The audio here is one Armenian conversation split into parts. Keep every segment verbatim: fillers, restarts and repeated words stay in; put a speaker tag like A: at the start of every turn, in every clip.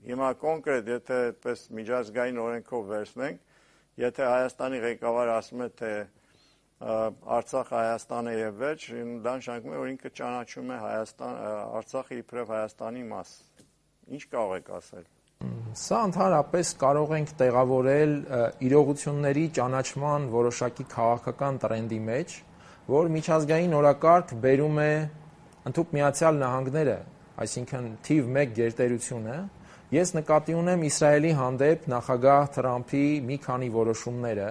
A: Հիմա կոնկրետ, եթե այդպես միջազգային օրենքով վերցնենք, եթե Հայաստանի ղեկավարը ասում է, թե Արցախը Հայաստան է եւ վերջ, դա նշանակում է, որ ինքը ճանաչում է Հայաստան, Արցախը իբրև Հայաստանի մաս։ Ինչ կարող եք ասել։
B: Սա ընդհանրապես կարող ենք տեղավորել իրողությունների ճանաչման որոշակի քաղաքական տրենդի մեջ, որ միջազգային օրակարգ բերում է ընդհանուր Միացյալ Նահանգները, այսինքն թիվ մեկ գերտերությունը։ Ես նկատի ունեմ Իսրայելի հանդեպ նախագահ Թրամփի մի քանի որոշումները,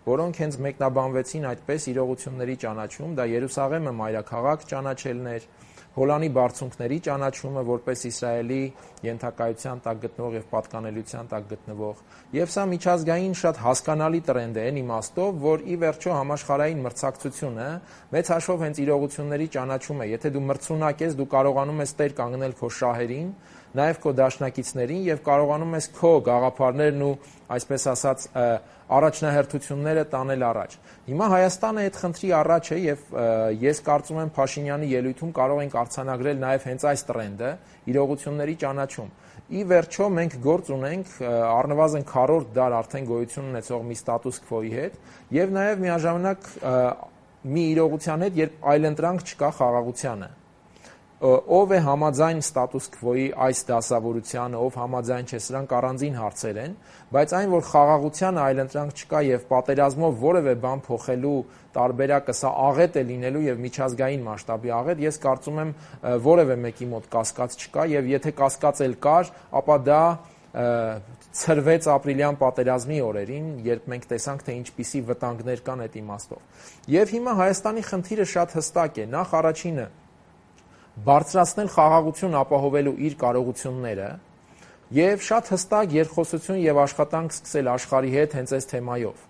B: որոնք հենց մեկնաբանվեցին այդպես իրողությունների ճանաչում, դա Երուսաղեմը մայրաքաղաք ճանաչելն էր, Հոլանի բարձունքների ճանաչումը որպես Իսրայելի ենթակայության տակ գտնվող եւ պատկանելիության տակ գտնվող, եւ սա միջազգային շատ հասկանալի տրենդ է այն իմաստով, որ ի վերջո համաշխարհային մրցակցությունը մեծ հաշվով հենց իրողությունների ճանաչում է։ Եթե դու մրցունակ ես, դու կարողանում ես տեր կանգնել քո շահերին, նաև քո դաշնակիցներին եւ կարողանում ես քո գաղափարներն ու այսպես ասած առաջնահերթությունները տանել առաջ։ Հիմա Հայաստանը այդ խնդրի առաջ է եւ ես կարծում եմ Փաշինյանի ելույթում կարող ենք արձանագրել նաև հենց այս տրենդը՝ իրողությունների ճանաչում։ Ի վերջո մենք գործ ունենք առնվազն քառորդ դար արդեն գոյություն ունեցող մի ստատուս քվոյի հետ եւ նաև միաժամանակ մի իրողության հետ, երբ այլընտրանք չկա խաղաղությանը։ Ով է համաձայն ստատուս քվոյի այս դասավորությանը, ով համաձայն չէ, սրանք առանձին հարցեր են, բայց այն, որ խաղաղությանը այլընտրանք չկա եւ պատերազմով որևէ բան փոխելու տարբերակը սա աղետ է լինելու եւ միջազգային մասշտաբի աղետ, ես կարծում եմ որևէ մեկի մոտ կասկած չկա եւ եթե կասկած էլ կար, ապա դա ցրվեց ապրիլյան պատերազմի օրերին, երբ մենք տեսանք, թե ինչպիսի վտանգներ կան այդ իմաստով։ Եվ հիմա Հայաստանի խնդիրը շատ հստակ է, նախ առաջինը բարձրացնել խաղաղություն ապահովելու իր կարողությունները եւ շատ հստակ երկխոսություն եւ աշխատանք սկսել աշխարհի հետ հենց այս թեմայով։